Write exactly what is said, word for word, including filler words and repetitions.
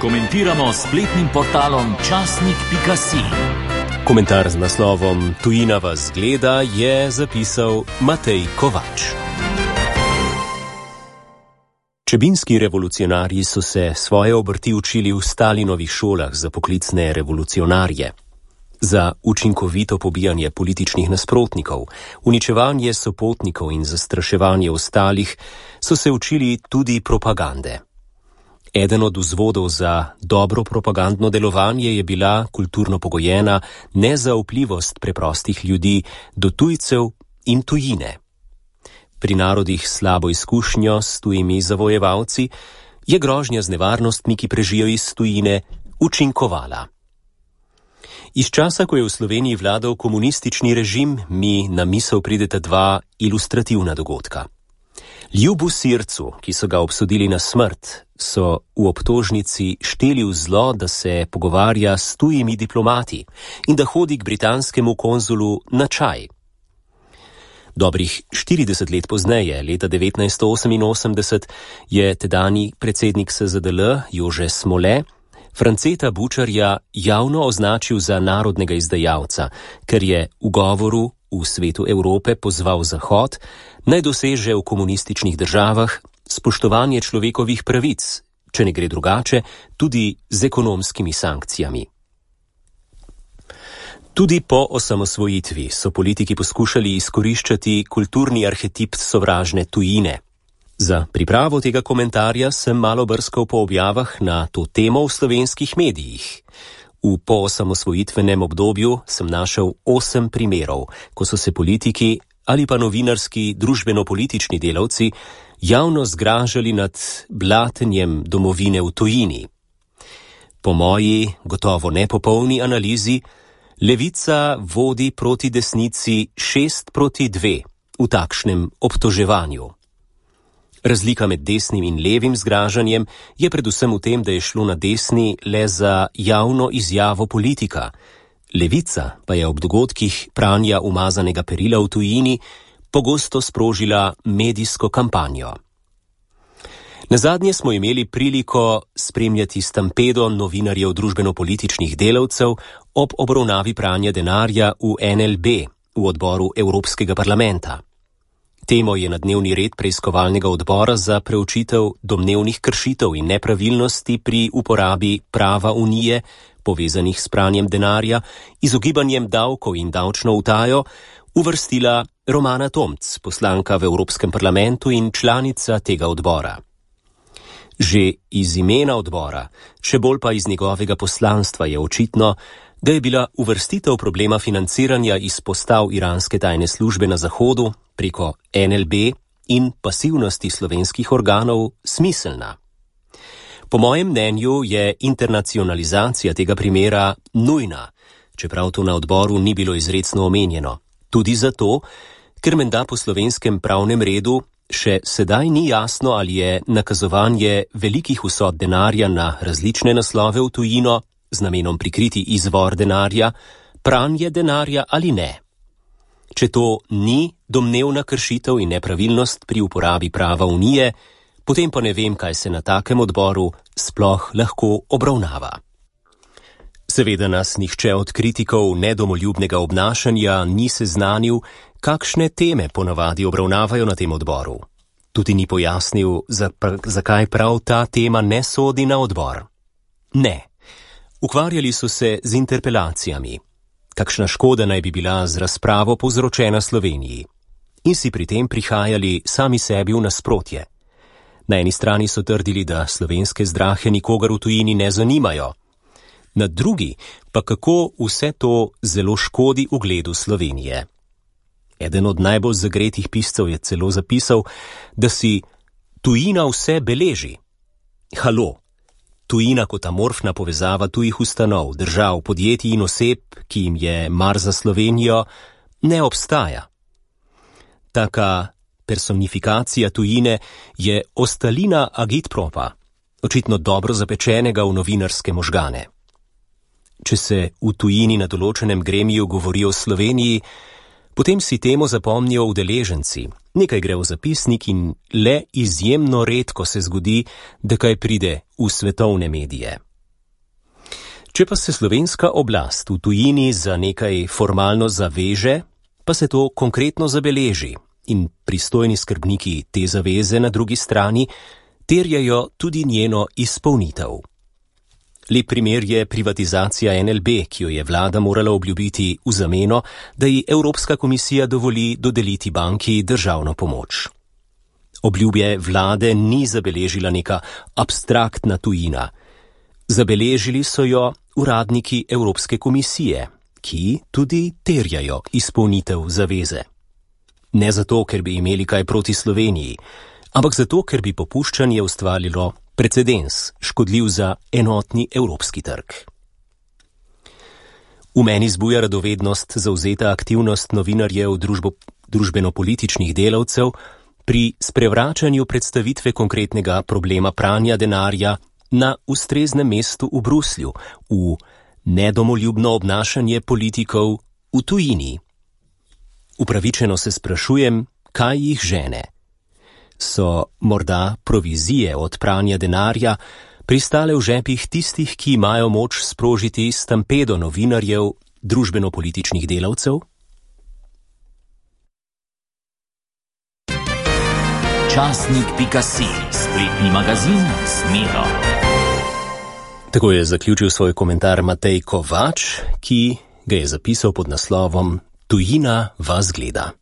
Komentiramo s spletnim portalom časnik pika si. Komentar z naslovom Tujina vas gleda je zapisal Matej Kovač. Čebinski revolucionarji so se svoje obrti učili v Stalinovih šolah za poklicne revolucionarje. Za učinkovito pobijanje političnih nasprotnikov, uničevanje sopotnikov in zastraševanje ostalih so se učili tudi propagande. Eden od vzvodov za dobro propagandno delovanje je bila kulturno pogojena nezaupljivost preprostih ljudi do tujcev in tujine. Pri narodih s slabo izkušnjo s tujimi zavojevalci je grožnja z nevarnostmi, ki prežijo iz tujine, učinkovala. Iz časa, ko je v Sloveniji vladal komunistični režim, mi na misel prideta dva ilustrativna dogodka. Ljubu Sircu, ki so ga obsodili na smrt, so v obtožnici šteli v zlo, da se pogovarja s tujimi diplomati in da hodi k britanskemu konzulu na čaj. Dobrih štirideset let pozneje, leta devetnajststo oseminosemdeset, je tedanji predsednik S Z D L Jože Smole Franceta Bučarja javno označil za narodnega izdajalca, ker je v govoru v svetu Evrope pozval Zahod, naj doseže v komunističnih državah spoštovanje človekovih pravic, če ne gre drugače, tudi z ekonomskimi sankcijami. Tudi po osamosvojitvi so politiki poskušali izkoriščati kulturni arhetip sovražne tujine. Za pripravo tega komentarja sem malo brskal po objavah na to temo v slovenskih medijih. V poosamosvojitvenem obdobju sem našel osem primerov, ko so se politiki ali pa novinarski družbeno-politični delavci javno zgražali nad blatenjem domovine v tujini. Po moji, gotovo nepopolni analizi, levica vodi proti desnici šest proti dve v takšnem obtoževanju. Razlika med desnim in levim zgražanjem je predvsem v tem, da je šlo na desni le za javno izjavo politika. Levica pa je ob dogodkih pranja umazanega perila v tujini pogosto sprožila medijsko kampanjo. Nazadnje smo imeli priliko spremljati stampedo novinarjev družbeno-političnih delavcev ob obravnavi pranja denarja v N L B, v odboru Evropskega parlamenta. Temo je na dnevni red preiskovalnega odbora za preučitev domnevnih kršitev in nepravilnosti pri uporabi prava Unije, povezanih s pranjem denarja, izogibanjem davkov in davčno utajo, uvrstila Romana Tomc, poslanka v Evropskem parlamentu in članica tega odbora. Že iz imena odbora, še bolj pa iz njegovega poslanstva je očitno, da je bila uvrstitev problema financiranja iz postav iranske tajne službe na Zahodu preko N L B in pasivnosti slovenskih organov smiselna. Po mojem mnenju je internacionalizacija tega primera nujna, čeprav to na odboru ni bilo izrecno omenjeno. Tudi zato, ker menda po slovenskem pravnem redu še sedaj ni jasno, ali je nakazovanje velikih vsot denarja na različne naslove v tujino z namenom prikriti izvor denarja, pranje denarja ali ne. Če to ni domnevna kršitev in nepravilnost pri uporabi prava Unije, potem pa ne vem, kaj se na takem odboru sploh lahko obravnava. Seveda nas nihče od kritikov nedomoljubnega obnašanja ni seznanil, kakšne teme ponavadi obravnavajo na tem odboru. Tudi ni pojasnil, zakaj prav ta tema ne sodi na odbor. Ne. Ukvarjali so se z interpelacijami. Kakšna škoda naj bi bila z razpravo povzročena Sloveniji. In si pri tem prihajali sami sebi v nasprotje. Na eni strani so trdili, da slovenske zdrahe nikogar v tujini ne zanimajo. Na drugi pa kako vse to zelo škodi ugledu Slovenije. Eden od najbolj zagretih piscev je celo zapisal, da si tujina vse beleži. Halo! Tujina kot amorfna povezava tujih ustanov, držav, podjetij in oseb, ki jim je mar za Slovenijo, ne obstaja. Taka personifikacija tujine je ostalina agitpropa, očitno dobro zapečenega v novinarske možgane. Če se v tujini na določenem gremiju govori o Sloveniji, potem si temo zapomnijo udeleženci. Nekaj gre v zapisnik in le izjemno redko se zgodi, da kaj pride v svetovne medije. Če pa se slovenska oblast v tujini za nekaj formalno zaveže, pa se to konkretno zabeleži in pristojni skrbniki te zaveze na drugi strani terjajo tudi njeno izpolnitev. Lep primer je privatizacija N L B, ki jo je vlada morala obljubiti v zameno, da ji Evropska komisija dovoli dodeliti banki državno pomoč. Obljubje vlade ni zabeležila neka abstraktna tujina. Zabeležili so jo uradniki Evropske komisije, ki tudi terjajo izpolnitev zaveze. Ne zato, ker bi imeli kaj proti Sloveniji, ampak zato, ker bi popuščanje ustvarilo precedens, škodljiv za enotni evropski trg. V meni zbuja radovednost zavzeta aktivnost novinarjev družbo, družbeno-političnih delavcev pri sprevračanju predstavitve konkretnega problema pranja denarja na ustreznem mestu v Bruslju, v nedomoljubno obnašanje politikov v tujini. Upravičeno se sprašujem, kaj jih žene. So morda provizije od pranja denarja pristale v žepih tistih, ki imajo moč sprožiti stampedo novinarjev, družbeno-političnih delavcev? Časnik pika si, spletni magazin Smero. Tako je zaključil svoj komentar Matej Kovač, ki ga je zapisal pod naslovom Tujina vas gleda.